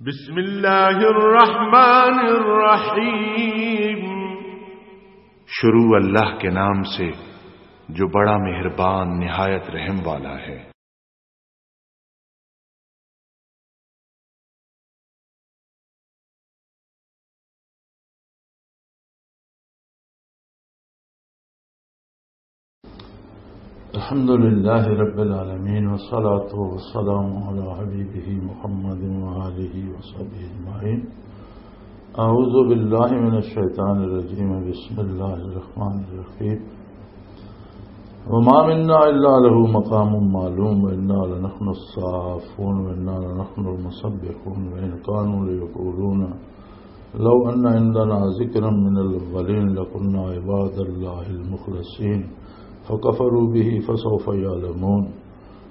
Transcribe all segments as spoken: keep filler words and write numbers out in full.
بسم اللہ الرحمن الرحیم۔ شروع اللہ کے نام سے جو بڑا مہربان نہایت رحم والا ہے۔ الحمد لله رب العالمين، والصلاة والسلام على حبيبه محمد وآله وصحبه أجمعين. أعوذ بالله من الشيطان الرجيم. بسم الله الرحمن الرحيم. وما منا إلا له مقام معلوم، وإنا لنحن الصافون، وإنا لنحن المسبحون، وإن كانوا ليقولون لو أن عندنا ذكرا من الأولين لكنا عباد الله المخلصين، فكفروا به، فسوف يعلمون.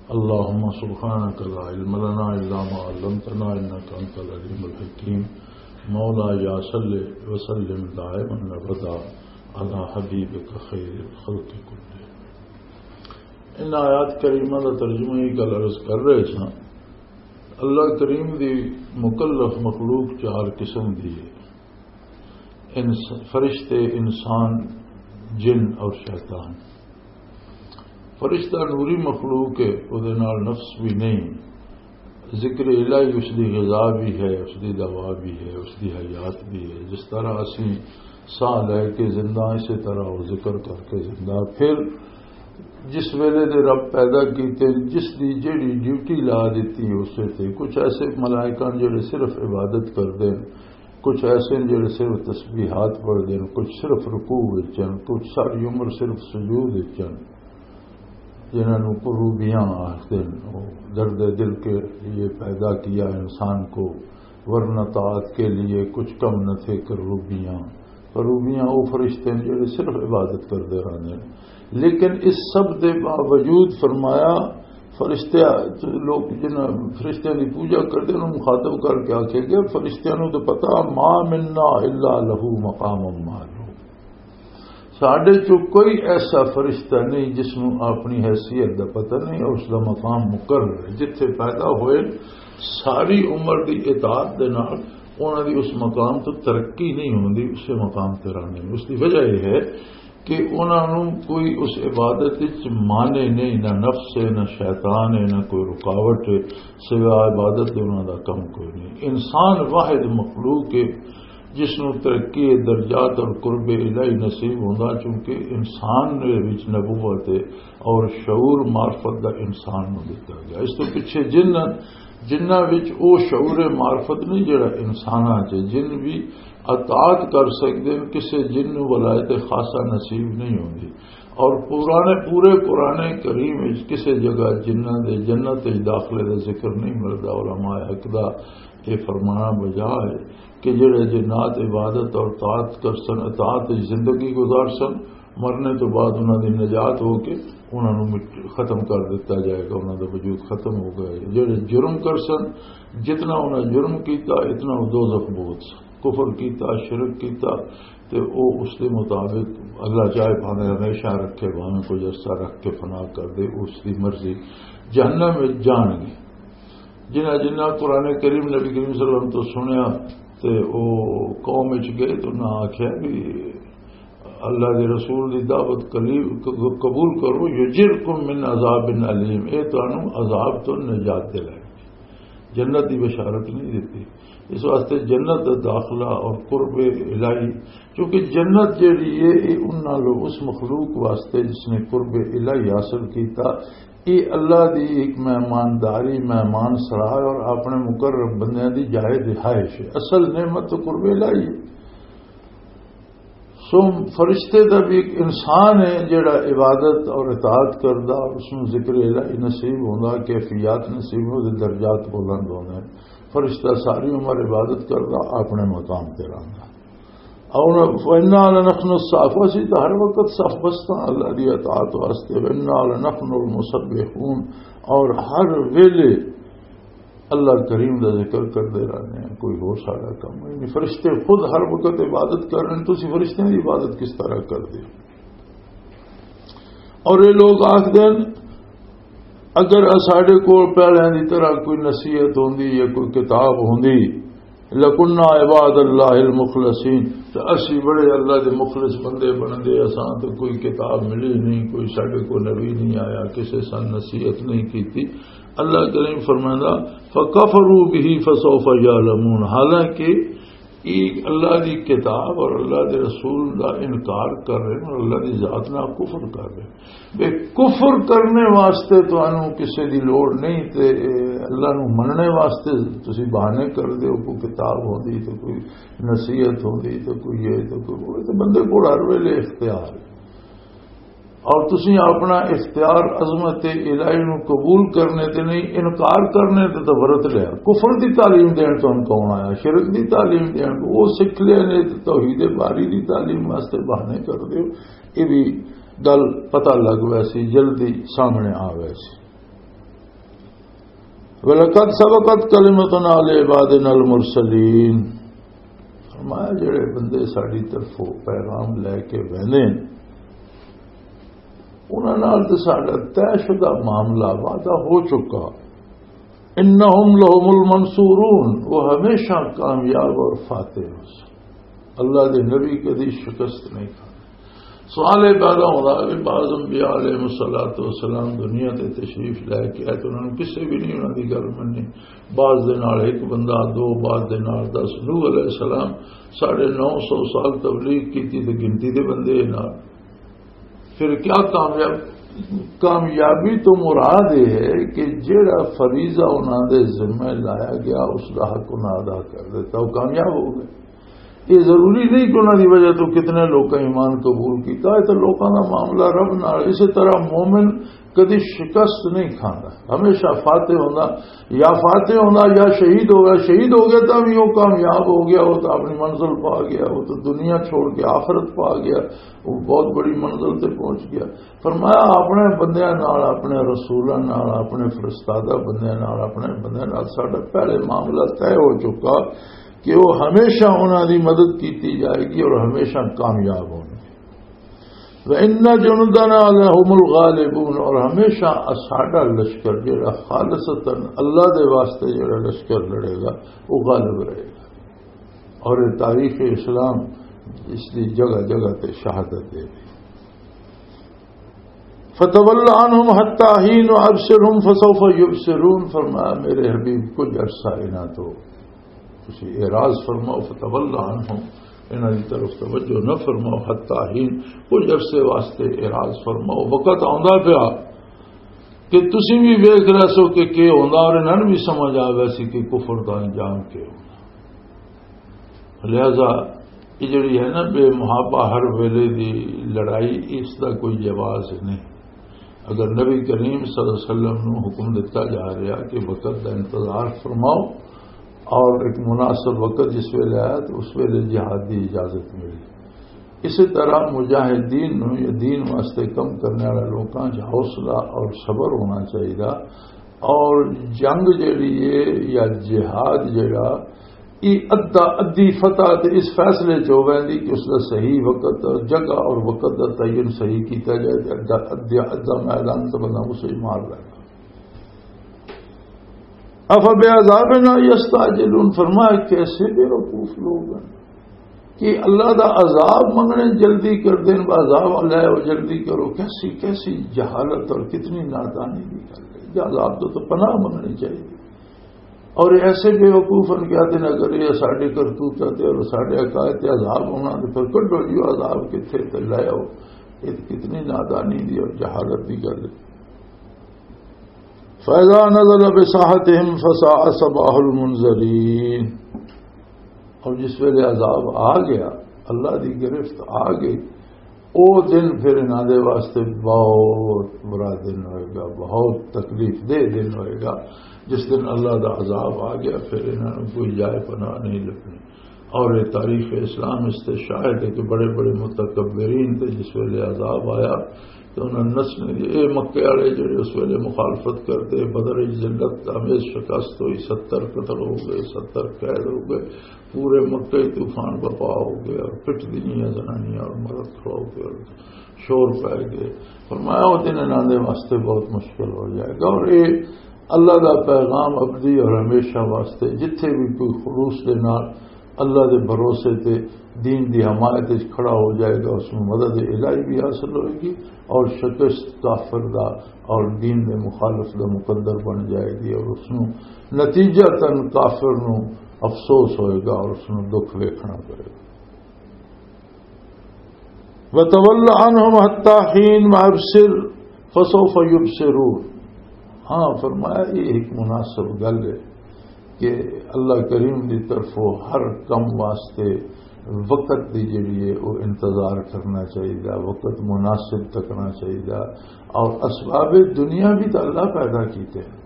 اللهم سبحانك لا علم لنا إلا ما علمتنا إنك أنت العليم الحكيم. مولاي صل وسلم دائما أبدا على حبيبك خير الخلق كلهم. ان آیات کریمہ دا ترجمہ یہ گل عرض کر رہے ساں، اللہ کریم دی مکلف مخلوق چار قسم دی ہے، انس-، فرشتے، انسان، جن اور شیطان۔ فرشتہ نوری مخلوق ہے، او دے نال نفس بھی نہیں، ذکر الہی اس دی غذا بھی ہے، اس دی دوا بھی ہے، اس دی حیات بھی ہے۔ جس طرح اسی ساہ لے کے زندہ، اسی طرح وہ ذکر کر کے زندہ۔ پھر جس ویلے دے رب پیدا کیتے، جس دی جیڑی ڈیوٹی لا دتی اسے تے۔ کچھ ایسے ملائکہ جڑے صرف عبادت کردے، کچھ ایسے جڑے صرف تسبیحات پڑھدے، کچھ صرف رکوع وچ ہن، کچھ ساری عمر صرف سجود وچ ہن، جنہاں نوں کروبیاں آکھدے ہن۔ وہ درد دل کے لیے پیدا کیا انسان کو، ورنہ طاعت کے لیے کچھ کم نہ تھے کروبیاں۔ کروبیاں وہ فرشتے ہیں جڑے صرف عبادت کردے رہندے ہیں۔ لیکن اس سب دے باوجود فرمایا، فرشتے، لوگ جنہاں فرشتیاں دی پوجا کردے انہاں نوں مخاطب کر کے آکھے گیا، فرشتیاں نوں تو پتا، ما منا الا لہ مقام معلوم۔ ساڈے چوں کوئی ایسا فرشتہ نہیں جس نوں اپنی حیثیت دا پتہ نہیں اور اس دا مقام مقرر ہے۔ جتھے پیدا ہوئے، ساری عمر دی اطاعت دے نال انہاں دی اس مقام تو ترقی نہیں ہوندی، اسے مقام تے رہنے۔ اس دی وجہ یہ ہے کہ انہاں نوں کوئی اس عبادت وچ مانع نہیں، نہ نفس ہے، نہ شیطان ہے، نہ کوئی رکاوٹ ہے، سوا عبادت دے انہاں دا کم کوئی نہیں۔ انسان واحد مخلوق ہے جس نوں ترقی درجات اور قرب الہی نصیب ہوندا، چونکہ انسان دے وچ نبوت ہے اور شعور معرفت دا انسان نوں دتا گیا۔ اس تو پیچھے جن، جنہاں وچ او شعور معرفت نہیں جڑا انساناں چ، جن بھی اطاعت کر سکدے ہیں، کسے جن نوں ولایت خاصہ نصیب نہیں ہوندی۔ اور پرانے، پورے قرآن کریم وچ کسے جگہ جنہاں دے جنت وچ داخلے دا ذکر نہیں ملدا۔ علماء حق دا یہ فرمانا بجا ہے کہ جڑے جنات عبادت اور طاعت کر سن، اطاعت وچ زندگی گزار سن، مرنے تو بعد انہاں دی نجات ہو کے انہاں نوں مٹ-، ختم کر دتا جائے گا، انہاں دا وجود ختم ہو گیا ہے۔ جڑے جرم کر سن، جتنا انہاں جرم کیتا، اتنا وہ دوزخ بہت سن۔ کفر کیتا، شرک کیتا، تے او اس دے مطابق اللہ چاہے بھاویں ہمیشہ رکھے، بھاویں کوئی عرصہ رکھ کے فنا کر دے، اس دی مرضی۔ جہنم وچ جان گے۔ جنہاں، جنہاں قرآن کریم نبی کریم صلی اللہ علیہ وسلم تو سنیا تے او قوم وچ گئے تے انہاں آکھیا بھی اللہ دے رسول دی دعوت قلی-، ق-، قبول کرو، یجرکم من عذاب علیم، اے تانوں عذاب تو نجات دلائے۔ جنت دی بشارت نہیں دیتی۔ اس واسطے جنت دا داخلہ اور قرب الہی، کیونکہ جنت جیڑی ہے، یہ ان نالوں، اس مخلوق واسطے جس نے قرب الہی حاصل کیتا، یہ اللہ دی ایک مہمانداری، مہمان سرائے اور اپنے مقرب بندیاں دی جائے رہائش ہے۔ اصل نعمت تو قرب الہی ہے۔ سو فرشتے دا بھی ایک انسان ہے جڑا عبادت اور اطاعت کردا اور اس نوں ذکر الہی نصیب ہوندا، کیفیات نصیب ہوندے، درجات بلند ہوندے۔ فرشتہ ساری عمر عبادت کردا، اپنے مقام تے رہندا۔ اور فإنا لنحن الصافون، اسی تو ہر وقت صف بستاں اللہ دی اطاعت واسطے، وإنا لنحن المسبحون، اور ہر ویلے اللہ کریم دا ذکر کردے رہنے ہیں، کوئی ہور سارا کم نہیں۔ فرشتے خود ہر وقت عبادت کر رہے ہیں، تسی فرشتیاں دی عبادت کس طرح کردے ہو؟ اور یہ لوگ آخدے ہیں، اگر ساڈے کول پہلیاں دی طرح کوئی نصیحت ہوندی یا کوئی کتاب ہوندی، لَكُنَّا عِبَادَ اللَّهِ الْمُخْلَصِينَ، تو اسی بڑے اللہ دے مخلص بندے بندے۔ اساں تو کوئی کتاب ملی نہیں، کوئی ساڈے کو نبی نہیں آیا، کسے سن نصیحت نہیں کیتی۔ اللہ کریم فرمائندا، فَكَفَرُوا بِهِ فَسَوْفَ يَعْلَمُونَ۔ حالانکہ یہ اللہ دی کتاب اور اللہ دے رسول دا انکار کر رہے ہیں اور اللہ دی ذات نال کفر کر رہے ہیں۔ بے کفر کرنے واسطے تانوں کسے دی لوڑ نہیں، تے اللہ نو مننے واسطے تسی بہانے کر دیو۔ کوئی کتاب ہوندی تے کوئی نصیحت ہوندی تے کوئی یہ تے کوئی وہ، تے بندے کول ہر ویلے اختیار ہے۔ اور تسی اپنا اختیار عظمت الہی نو قبول کرنے تے نہیں، انکار کرنے تے تو ورت لیا۔ کفر دی تعلیم دین تانوں کون آیا؟ شرک دی تعلیم دین کو وہ سکھ لیا نے تے توحید باری دی تعلیم واسطے بہانے کر دیو۔ یہ بھی گل پتہ لگ ویسی، جلدی سامنے آ ویسی۔ وَلَقَدْ سَبَقَتْ كَلِمَتُنَا لِعِبَادِنَا الْمُرْسَلِينَ۔ فرمایا، جڑے بندے ساڈی طرفوں پیغام لے کے ویندے نے، انہاں نال تے ساڈا طے شدہ معاملہ، وعدہ ہو چکا۔ اِنَّهُمْ لَهُمُ الْمَنْصُورُونَ، وہ ہمیشہ کامیاب اور فاتح ہو سن۔ اللہ دے نبی کدی شکست نہیں کھاندے۔ سوال یہ پیدا ہوندا کہ بعض انبیاء علیہ الصلوۃ والسلام دنیا تے تشریف لے کے آئے تو انہاں نوں کسے بھی نہیں انہاں دی گل مننی۔ بعض دے نال ایک بندہ، دو، بعض دے نال دس۔ نوح علیہ السلام ساڑھے نو سو سال تبلیغ کیتی تے گنتی دے بندے نال۔ پھر کیا کامیاب، کامیابی تو مراد یہ ہے کہ جیڑا فریضہ انہاں دے ذمہ لایا گیا، اس دا حق انہاں ادا کر دیتا، وہ کامیاب ہو گئے۔ یہ ضروری نہیں کہ انہاں دی وجہ تو کتنے لوکاں ایمان قبول کیتا ہے، تو لوکاں دا معاملہ رب نال۔ اسی طرح مومن کدی شکست نہیں کھاندا، ہمیشہ فاتح ہوندا، یا فاتح ہوندا یا شہید ہو گیا۔ شہید ہو گیا تو بھی وہ کامیاب ہو گیا، وہ تو اپنی منزل پا گیا، وہ تو دنیا چھوڑ کے آخرت پا گیا، وہ بہت بڑی منزل تے پہنچ گیا۔ فرمایا، اپنے بندیاں نال، اپنے رسولاں نال، اپنے فرستادہ بندیاں نال، اپنے بندیاں نال ساڈا پہلے معاملہ طے ہو چکا کہ وہ ہمیشہ انہاں دی مدد کیتی جائے گی اور ہمیشہ کامیاب ہونگے۔ وَإِنَّ جُنُودَنَا لَهُمُ الْغَالِبُونَ، اور ہمیشہ ساڈا لشکر جڑا خالصتاً اللہ دے واسطے جڑا لشکر لڑے گا، وہ غالب رہے گا۔ اور یہ تاریخ اسلام اس دی جگہ جگہ تے شہادت دے دی۔ فَتَوَلَّ عَنْهُمْ حَتَّىٰ حِينٍ وَأَبْصِرْهُمْ فَسَوْفَ يُبْصِرُونَ، فرمایا، میرے حبیب، کچھ عرصہ انہاں تو تسی اعراض فرماؤ، فَتَوَلَّ عَنْهُمْ، انہاں دی طرف توجہ نہ فرماؤ، حَتَّىٰ حِينٍ، کچھ عرصے واسطے اعراض فرماؤ، وقت آندا پیا کہ تسی بھی ویکھ رہے سو کہ کی ہوندا اور انہاں نوں بھی سمجھ آ ویسی کہ کفر دا انجام کی ہوندا۔ لہذا یہ جڑی ہے نا بے محابہ ہر ویلے دی لڑائی، اس دا کوئی جواز نہیں۔ اگر نبی کریم صلی اللہ علیہ وسلم نو حکم دتا جا رہا کہ وقت دا انتظار فرماؤ اور ایک مناسب وقت جس ویلے آیا تو اس ویلے جہاد دی اجازت ملی۔ اسی طرح مجاہدین نو یا دین واسطے کم کرنے والے لوکاں چ حوصلہ اور صبر ہونا چاہیے، اور جنگ جڑی ہے یا جہاد جڑا، یہ ادا ادی فتح تے اس فیصلے چ ہو ویندی کہ اس دا صحیح وقت، جگہ اور وقت دا تعین صحیح کیتا جائے تے ادا، ادا، ادا میدان تے بندہ اسے ہی مار لے گا۔ افبعذابنا یستعجلون، فرمایا، کیسے بے وقوف لوگ ہیں کہ اللہ دا عذاب منگنے جلدی کر دین، عذاب اللہ ہے، وہ جلدی کرو۔ کیسی، کیسی جہالت اور کتنی نادانی دی گل ہے۔ یا عذاب تو، تو پناہ منگنی چاہیے۔ اور ایسے بے وقوف ہیں کہ آتے ہیں، اگر یہ ساڈے کرتوت تے اور ساڈے عقائد تے عذاب ہونا تو پھر کڈو جی عذاب کتھے تے لے آؤ۔ یہ کتنی نادانی دی اور جہالت دی گل ہے۔ فَإِذَا نَزَلَ بِسَاحَتِهِمْ فَسَاءَ صَبَاحُ الْمُنذَرِينَ۔ اور جس ویلے عذاب آ گیا، اللہ دی گرفت آ گئی، او دن پھر انہاں دے واسطے بہت برا دن ہوئے گا، بہت تکلیف دہ دن ہوئے گا۔ جس دن اللہ دا عذاب آ گیا، پھر انہاں نوں کوئی جائے پناہ نہیں لبنی۔ اور یہ تاریخ اسلام اس سے شاہد ہے کہ بڑے بڑے متکبرین تے جس ویلے عذاب آیا، تے انہاں نے نسنے دی، اے مکے والے جڑے اس ویلے مخالفت کردے، بدر وچ ذلت آمیز شکست ہوئی، ستر قتل ہو گئے، ستر قید ہو گئے، پورے مکے طوفان بپا ہو گئے اور پٹ دیاں زنانیاں اور مرد کھڑا ہو گئے اور شور پہ گئے۔ فرمایا، وہ دن انہاں دے واسطے بہت مشکل ہو جائے گا۔ اور اے اللہ دا پیغام ابدی اور ہمیشہ واسطے، جتھے بھی کوئی خلوص دے نال اللہ دے بھروسے تے دین دی حمایت وچ کھڑا ہو جائے گا، اس نوں مدد الہی بھی حاصل ہوئے گی اور شکست کافر دا اور دین دے مخالف دا مقدر بن جائے گی، اور اس نوں نتیجہ تن کافر نوں افسوس ہوئے گا اور اس نوں دکھ ویکھنا پڑے گا۔ وَتَوَلَّ عَنْهُمْ حَتَّى حِينٍ وَأَبْصِرْ فَسَوْفَ يُبْصِرُونَ۔ ہاں، فرمایا، یہ ایک مناسب گل ہے کہ اللہ کریم دی طرفوں ہر کم واسطے وقت دی جڑی ہے، وہ انتظار کرنا چاہیے، وقت مناسب تکنا چاہیے۔ اور اسباب دنیا بھی تو اللہ پیدا کیتے ہیں۔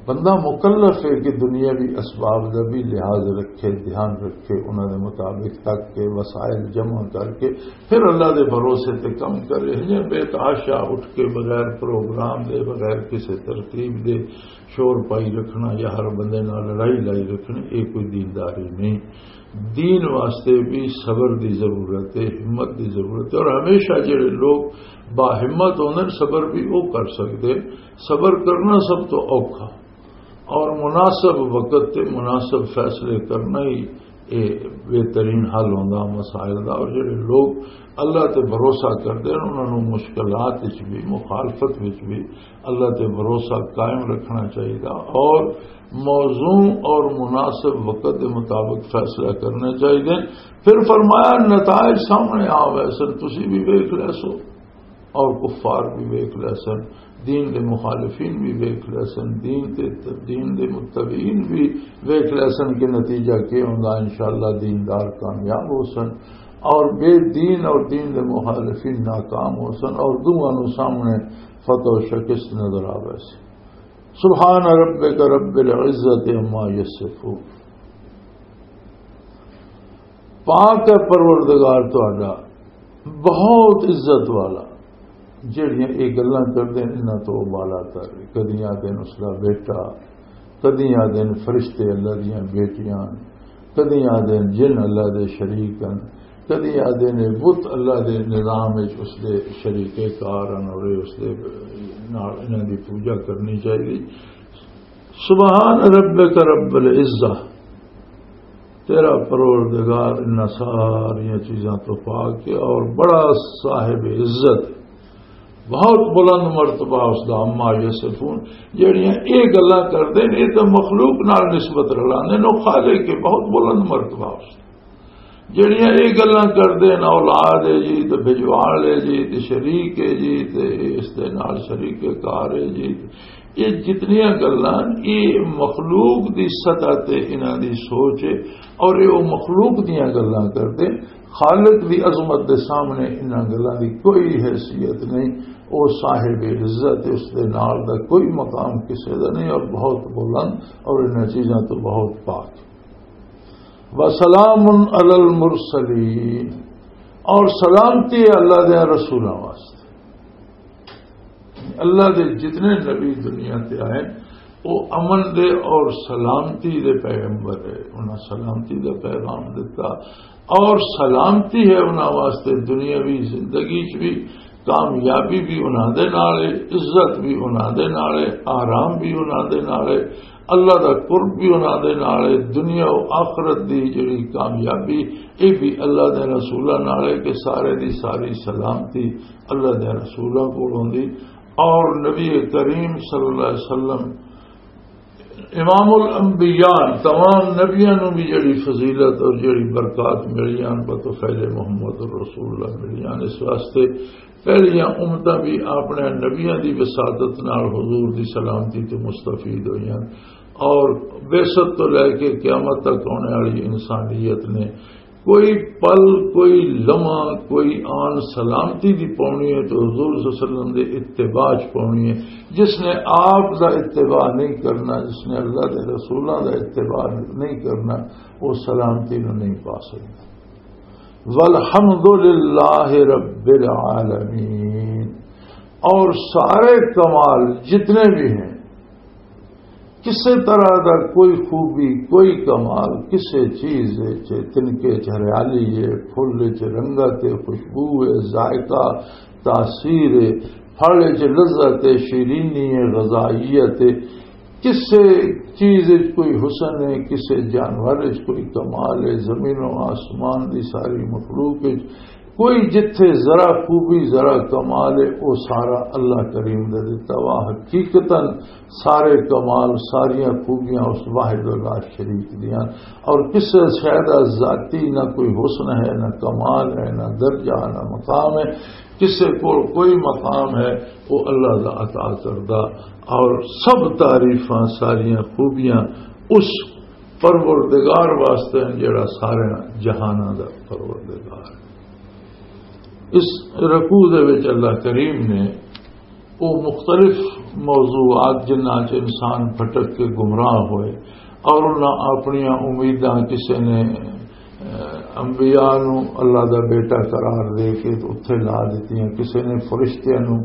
بندہ مکلف ہے کہ دنیاوی اسباب دا بھی لحاظ رکھے، دھیان رکھے، انہاں دے مطابق تک کے وسائل جمع کر کے پھر اللہ دے بھروسے تے کم کرے۔ یہ بے تحاشا اٹھ کے بغیر پروگرام دے، بغیر کسی ترتیب دے، شور پائی رکھنا یا ہر بندے نال لڑائی لائی رکھنی، یہ کوئی دینداری نہیں۔ دین واسطے بھی صبر دی ضرورت ہے، ہمت دی ضرورت ہے۔ اور ہمیشہ جڑے لوگ باہمت ہوندے نے، صبر بھی وہ کر سکتے۔ صبر کرنا سب تو اوکھا، اور مناسب وقت تے مناسب فیصلے کرنا ہی اے بہترین حل ہوندا مسائل دا۔ اور جڑے لوگ اللہ تے بھروسہ کردے نے، انہاں نوں مشکلات وچ بھی، مخالفت وچ بھی اللہ تے بھروسہ قائم رکھنا چاہیے اور موزوں اور مناسب وقت دے مطابق فیصلہ کرنا چاہیے۔ پھر فرمایا، نتائج سامنے آ ویسن، تسی بھی ویکھ لے سو اور کفار بھی ویکھ لے سن، دین دے مخالفین بھی ویکھ لے سن، دین دے، دین دے متبعین بھی ویکھ لے سن کہ نتیجہ کیا ہوندا۔ انشاءاللہ دیندار کامیاب ہو سن اور بے دین اور دین دے مخالفین ناکام ہو سن، اور دوواں نوں سامنے فتح و شکست نظر آوے سی۔ سبحان ربک رب العزت عما یصفون۔ پاک ہے پروردگار تہاڈا، بہت عزت والا۔ جڑیاں یہ گلاں کردے نے، انہاں تو بالا تر۔ کدی آدھے نے اس دا بیٹا، کدی آدھے نے فرشتے اللہ دیاں بیٹیاں، کدی آدھے نے جن اللہ دے شریک ہیں، کدی آدھے نے بت اللہ دے نظام وچ اس دے شریک کار ہیں اور یہ اس دے نال انہاں دی پوجا کرنی چاہیے۔ سبحان ربک رب العزہ، تیرا پروردگار ان ساریاں چیزاں تو پاک ہے اور بڑا صاحب عزت، بہت بلند مرتبہ اس دا۔ عما یصفون، جڑیاں یہ گلاں کردے نے، یہ تو مخلوق نال نسبت رلاندے نے، وہ خالق ہے، بہت بلند مرتبہ اس دا۔ جڑیاں یہ گلاں کردے نے، اولاد ہے جی، تے بھجوال ہے جی، تے شریک ہے جی، تے اس دے نال شریک کار ہے جی، یہ جتنیاں گلاں، یہ مخلوق دی سطح تے انہاں دی سوچ ہے، اور یہ وہ مخلوق دیاں گلاں کردے۔ خالق دی عظمت دے سامنے انہاں گلاں دی کوئی حیثیت نہیں۔ وہ صاحب عزت ہے، اس دے نال دا کوئی مقام کسے دا نہیں، اور بہت بلند، اور انہاں چیزاں تو بہت پاک۔ وسلام علی المرسلین، اور سلامتی ہے اللہ دے رسولاں واسطے۔ اللہ دے جتنے نبی دنیا تے آئے، وہ امن دے اور سلامتی دے پیغمبر ہے۔ انہاں سلامتی دا پیغام دیتا اور سلامتی ہے انہاں واسطے دنیاوی زندگی چ بھی، کامیابی بھی انہاں دے نال ہے، عزت بھی انہاں دے نال ہے، آرام بھی انہاں دے نال ہے، اللہ دا قرب بھی انہاں دے نال ہے۔ دنیا و آخرت دی جڑی کامیابی، یہ بھی اللہ دے رسولاں نال ہے کہ سارے دی ساری سلامتی اللہ دے رسولاں کول ہوندی۔ اور نبی کریم صلی اللہ علیہ وسلم امام الانبیاء، تمام نبیاں نوں بھی جڑی فضیلت اور جڑی برکات ملیاں، بطفیل محمد رسول اللہ ملیاں۔ اس واسطے پہلیاں امتاں بھی اپنے نبیاں دی وساطت نال حضور دی سلامتی تو مستفید ہوئیاں، اور بعثت تو لے کے قیامت تک آنے والی انسانیت نے کوئی پل، کوئی لمحہ، کوئی آن سلامتی دی پاؤنی ہے تو حضور صلی اللہ علیہ وسلم دے اتباع چ پاؤنی ہے۔ جس نے آپ دا اتباع نہیں کرنا، جس نے اللہ دے رسولاں دا اتباع نہیں کرنا، وہ سلامتی نو نہیں پا سکتا۔ والحمد للہ رب العالمین۔ اور سارے کمال جتنے بھی ہیں، کسے طرح دا کوئی خوبی، کوئی کمال، کسے چیز وچ، تنکے چ ہریالی ہے، پھل وچ رنگت ہے، خوشبو ہے، ذائقہ، تاثیر ہے، پھل وچ لذت ہے، شیرینی ہے، غذائیت ہے، کسے چیز وچ کوئی حسن ہے، کسے جانور وچ کوئی کمال ہے، زمین و آسمان دی ساری مخلوق وچ کوئی جتھے ذرا خوبی، ذرا کمال ہے، وہ سارا اللہ کریم دے دتا وا۔ حقیقتاً سارے کمال، ساریاں خوبیاں اس واحد و لا شریک دیاں، اور کسے شے دا ذاتی نہ کوئی حسن ہے، نہ کمال ہے، نہ درجہ، نہ مقام ہے۔ کسے کول کوئی مقام ہے، وہ اللہ دا عطا کردہ، اور سب تعریفاں، ساریاں خوبیاں اس پروردگار واسطے ہیں، جڑا سارے جہاناں دا پروردگار ہے۔ اس رکوع دے وچ اللہ کریم نے وہ مختلف موضوعات، جنہاں چ انسان بھٹک کے گمراہ ہوئے اور انہاں اپنیاں امیداں، کسے نے، اہ، انبیاء نو اللہ دا بیٹا قرار دے کے اتھے لا دتیاں، کسے نے فرشتیاں نو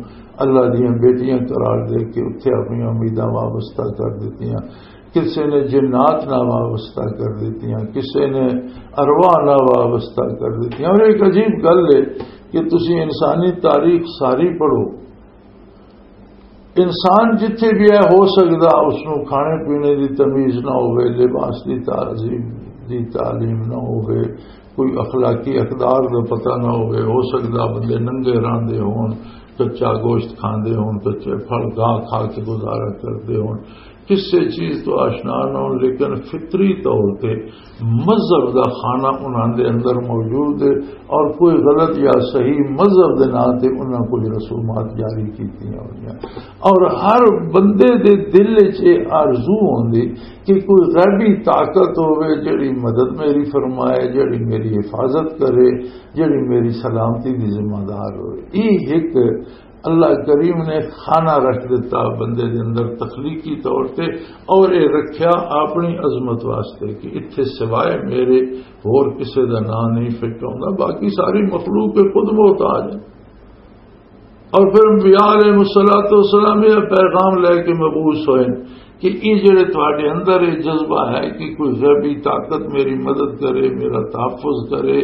اللہ دیاں بیٹیاں قرار دے کے اتھے اپنیاں امیداں وابستہ کر دتیاں، کسے نے جنات نال وابستہ کر دتیاں، کسے نے ارواح نال وابستہ کر دتیاں۔ اور ایک عجیب گل ہے کہ تسی انسانی تاریخ ساری پڑھو، انسان جتھے بھی ہے، ہو سکدا اس نوں کھانے پینے دی تمیز نہ ہوے، لباس دی تہذیب دی تعلیم نہ ہوے، کوئی اخلاقی اقدار دا پتہ نہ ہوے، ہو سکدا بندے ننگے راندے ہون، کچا گوشت کھاندے ہون، کچے پھل گاہ کھا کے گزارا کردے ہون، کسے چیز تو آشنا نہ ہون، لیکن فطری طور تے مذہب دا خانہ انہاں دے اندر موجود ہے، اور کوئی غلط یا صحیح مذہب دے نام تے انہاں کوئی رسومات جاری کیتیاں ہوئیاں۔ اور ہر بندے دے دل وچ یہ آرزو ہوندی کہ کوئی غیبی طاقت ہوے، جڑی مدد میری فرمائے، جڑی میری حفاظت کرے، جڑی میری سلامتی دی ذمہ دار ہوئے۔ یہ ایک اللہ کریم نے خانہ رکھ دیتا بندے دے اندر تخلیقی طور تے، اور یہ رکھیا اپنی عظمت واسطے کہ اتھے سوائے میرے ہور کسے دا نام نہیں فٹ ہوندا، باقی ساری مخلوق کے خود محتاج ہے۔ اور پھر انبیاء علیہ الصلوۃ والسلام یہ پیغام لے کے مبعوث ہوئے کہ یہ جڑے تواڈے اندر یہ جذبہ ہے کہ کوئی غیبی طاقت میری مدد کرے، میرا تحفظ کرے،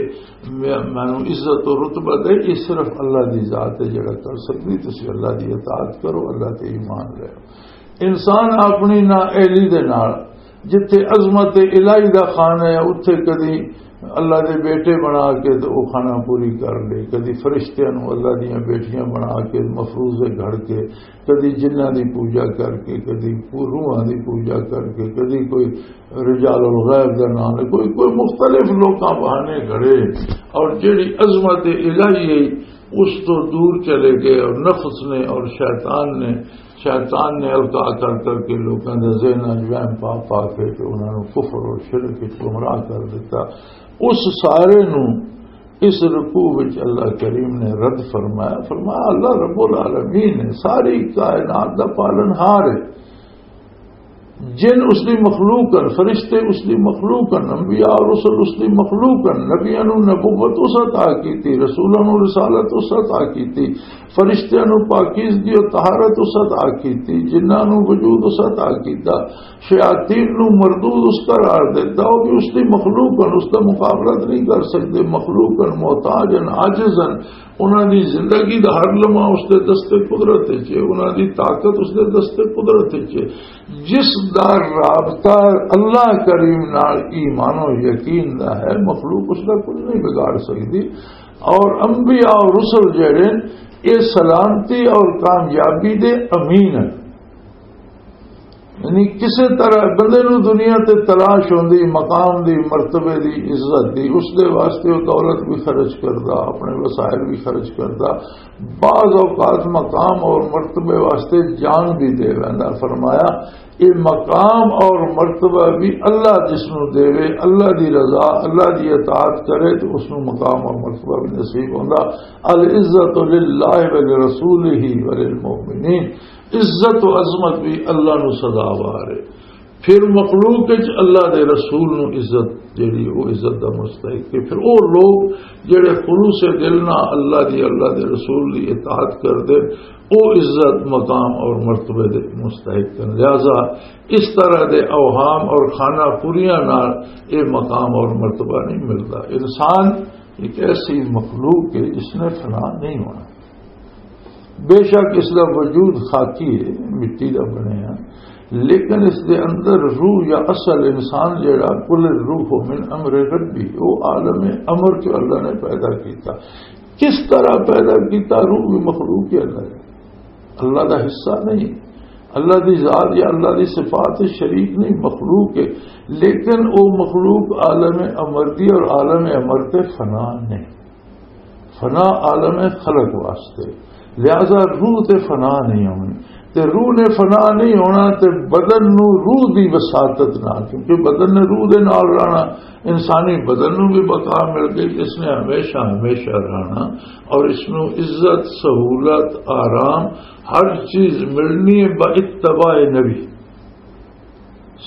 میں، مینوں عزت و رتبہ دے، یہ صرف اللہ دی ذات ہے جڑا کر سکدی۔ تسی اللہ دی اطاعت کرو، اللہ تے ایمان لے۔ انسان اپنی نااہلی دے نال جتھے عظمت الہی دا خانہ ہے، اتھے کدی اللہ دے بیٹے بنا کے تے او خانہ پوری کر لے، کدی فرشتیاں نوں اللہ دیاں بیٹیاں بنا کے مفروضے گھڑ کے، کدی جنہاں دی پوجا کر کے، کدی روحاں دی پوجا کر کے، کدی کوئی رجال الغیب دا نام ہے، کوئی، کوئی مختلف لوکاں بہانے گھڑے، اور جڑی عظمت الہی ہے اس تو دور چلے گئے، اور نفس نے اور شیطان نے، شیطان نے القاء کر کر کے لوکاں دے ذہناں وچ وہم پا پا کے تے انہاں نوں کفر اور شرک وچ گمراہ کر دیتا۔ اس سارے نوں اس رکوع وچ اللہ کریم نے رد فرمایا۔ فرمایا، اللہ رب العالمین ہے، ساری کائنات دا پالن ہار ہے۔ جن اس دی مخلوق ہن، فرشتے اس دی مخلوق ہن، انبیاء اور رسل اس دی مخلوق ہن، نبیاں نوں نبوت اس عطا کیتی، رسولاں نوں رسالت اس عطا کیتی، فرشتیاں نوں پاکیزگی اور طہارت اس عطا کیتی، جنہاں نوں وجود اس عطا کیتا، شیاطین نوں مردود اس قرار دیتا، وہ بھی اس دی مخلوق ہن، اس دا مقابلہ نہیں کر سکتے، مخلوق ہن، محتاج ہن، عاجز ہن، انہاں دی زندگی دا ہر لمحہ اس دے دست قدرت وچ ہے، انہاں دی طاقت اس دے دست قدرت وچ ہے۔ جس دا رابطہ اللہ کریم نال ایمان و یقین دا ہے، مخلوق اس دا کچھ نہیں بگاڑ سکدی۔ اور انبیاء اور رسل جڑے، یہ سلامتی اور کامیابی دے امین ہیں۔ یعنی کسے طرح بندے نوں دنیا تے تلاش ہوندی مقام دی، مرتبے دی، عزت دی، اس دے واسطے وہ دولت بھی خرچ کردا، اپنے وسائل بھی خرچ کردا، بعض اوقات مقام اور مرتبے واسطے جان بھی دے ویندا۔ فرمایا، یہ مقام اور مرتبہ بھی اللہ جس نوں دے، اللہ دی رضا، اللہ دی اطاعت کرے تو اس نوں مقام اور مرتبہ بھی نصیب ہوندا۔ العزت للہ ولرسولہ وللمؤمنین۔ عزت و عظمت بھی اللہ نو سزاوار ہے۔ پھر مخلوق وچ اللہ دے رسول نو عزت جڑی، او عزت دا مستحق ہے۔ پھر او لوگ جڑے خلوص دل نال اللہ دی، اللہ دے رسول دی اطاعت کردے، او عزت، مقام اور مرتبے دے مستحق ہیں۔ لہذا اس طرح دے اوہام اور خانہ پوریاں نال اے مقام اور مرتبہ نہیں ملدا۔ انسان ایک ایسی مخلوق ہے جس نے فنا نہیں ہونا۔ بے شک اس دا وجود خاکی ہے، مٹی دا بنیا، لیکن اس دے اندر روح یا اصل انسان جڑا، قل الروح من امر ربی، وہ عالم امر جو اللہ نے پیدا کیتا۔ کس طرح پیدا کیتا؟ روح بھی مخلوق کے اندر ہے، اللہ دا حصہ نہیں، اللہ دی ذات یا اللہ دی صفات شریک نہیں، مخلوق ہے، لیکن وہ مخلوق عالم امر دی اور عالم امر تے فنا نہیں۔ فنا عالم خلق واسطے، لہذا روح تے فنا نہیں ہونی۔ تے روح نے فنا نہیں ہونا، تے بدن نو روح دی وساطت نہ، کیونکہ بدن نے روح دے نال رہنا، انسانی بدن نو بھی بقا مل گئی، اس نے ہمیشہ ہمیشہ رہنا۔ اور اس نو عزت، سہولت، آرام، ہر چیز ملنی ہے با اتباع نبی۔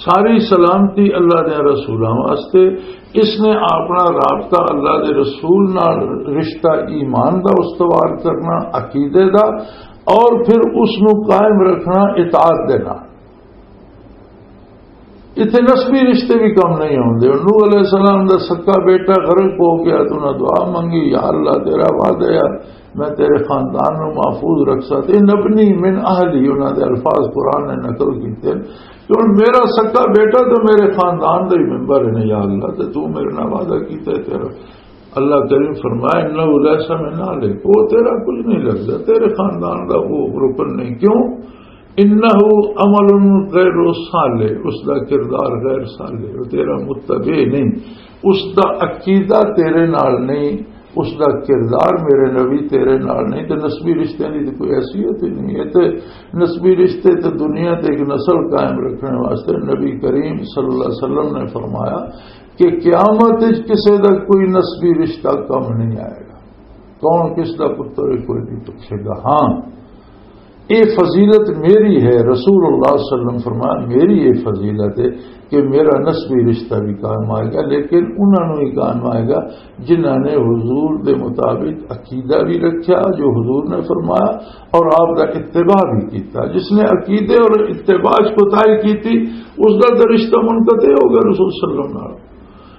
ساری سلامتی اللہ دے رسولاں واسطے۔ اس نے اپنا رابطہ اللہ دے رسول نال، رشتہ ایمان دا استوار کرنا، عقیدے دا، اور پھر اس نو قائم رکھنا اطاعت دے نال۔ اتنے نسبی رشتے بھی کم نہیں ہوندے۔ نوح علیہ السلام دا سکا بیٹا غرق ہو گیا تو انہاں دعا منگی، "یا اللہ، تیرا وعدہ ہے، میں تیرے خاندان نو محفوظ رکھ سکتے۔" "نبنی من اہلی"، انہاں دے الفاظ قرآن نے نقل کیتے ہیں کہ ہن میرا سکا بیٹا تو میرے خاندان دا ہی ممبر ہے نا، یا اللہ، تے تو میرے نال وعدہ کیتا ہے تیرا۔ اللہ کریم فرمایا، "انہ لیس من اہلک"، وہ تیرا کچھ نہیں لگتا، تیرے خاندان دا وہ رکن نہیں۔ کیوں؟ "انہ عمل غیر صالح"، اس دا کردار غیر صالح، وہ تیرا متبع نہیں، اس دا عقیدہ تیرے نال نہیں، اس دا کردار میرے نبی تیرے نال نہیں۔ تے نسبی رشتیاں دی تے کوئی حیثیت ہی نہیں ہے۔ تے نسبی رشتے تے دنیا تے ایک نسل قائم رکھنے واسطے نبی کریم صلی اللہ علیہ وسلم نے فرمایا کہ قیامت وچ کسے دا کوئی نسبی رشتہ کم نہیں آئے گا۔ کون کس دا پتر ہے، کوئی نہیں پوچھے گا۔ ہاں، اے فضیلت میری ہے، رسول اللہ صلی اللہ علیہ وسلم فرمایا، میری اے فضیلت ہے کہ میرا نسبی رشتہ بھی قائم آئے گا، لیکن انہاں نوں ہی قائم آئے گا جنہاں نے حضور دے مطابق عقیدہ بھی رکھیا جو حضور نے فرمایا، اور آپ دا اتباع بھی کیتا۔ جس نے عقیدے اور اتباع چ کوتاہی کیتی، اس دا تے رشتہ منقطع ہو گیا رسول صلی اللہ علیہ وسلم نال۔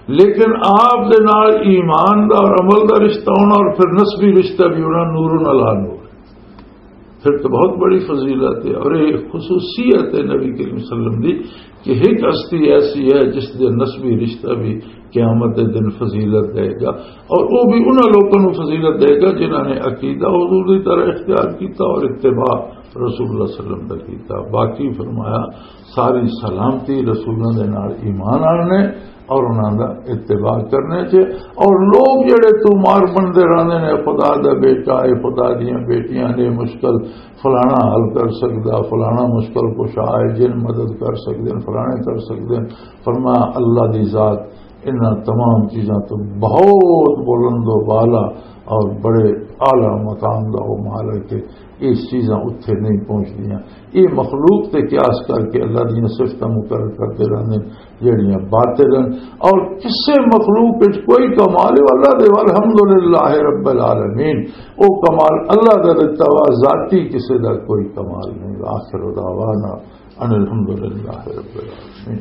لیکن آپ دے نال ایمان دا اور عمل دا رشتہ ہونا اور پھر نسبی رشتہ بھی ہونا، نور علی نور۔ پھر تو بہت بڑی فضیلت ہے اور یہ خصوصیت ہے نبی کریم صلی اللہ علیہ وسلم دی کہ ایک ہستی ایسی ہے جس دے نسبی رشتہ بھی قیامت دے دن فضیلت دے گا، اور وہ بھی انہاں لوگوں نوں فضیلت دے گا جنہاں نے عقیدہ حضور دی طرح اختیار کیتا اور اتباع رسول اللہ صلی اللہ علیہ وسلم دا کیتا۔ باقی فرمایا، ساری سلامتی رسولاں دے نال ایمان آنے اور انہاں دا اتباع کرنے چ۔ اور لوگ جڑے تومار بنتے رہندے نے، "خدا دا بیٹا ہے، خدا دیاں بیٹیاں نے، مشکل فلانا حل کر سکدا، فلانا مشکل کشا ہے، جن مدد کر سکدے نے، فلانے کر سکدے نے۔" فرمایا، اللہ دی ذات انہاں تمام چیزاں تو بہت بلند و بالا اور بڑے اعلیٰ مقام دا وہ مالک ہے۔ یہ چیزاں اتھے نہیں پہنچدیاں۔ یہ مخلوق تے قیاس کر کے اللہ دیاں صفتاں مقرر کرتے رہندے ہیں، جڑیاں باطل ہیں۔ اور کسے مخلوق وچ کوئی کمال ہے، اللہ دے، والحمدللہ رب العالمین، وہ کمال اللہ دا دتا ہوا، ذاتی کسے دا کوئی کمال نہیں۔ آخر دعوانا ان الحمدللہ رب العالمین۔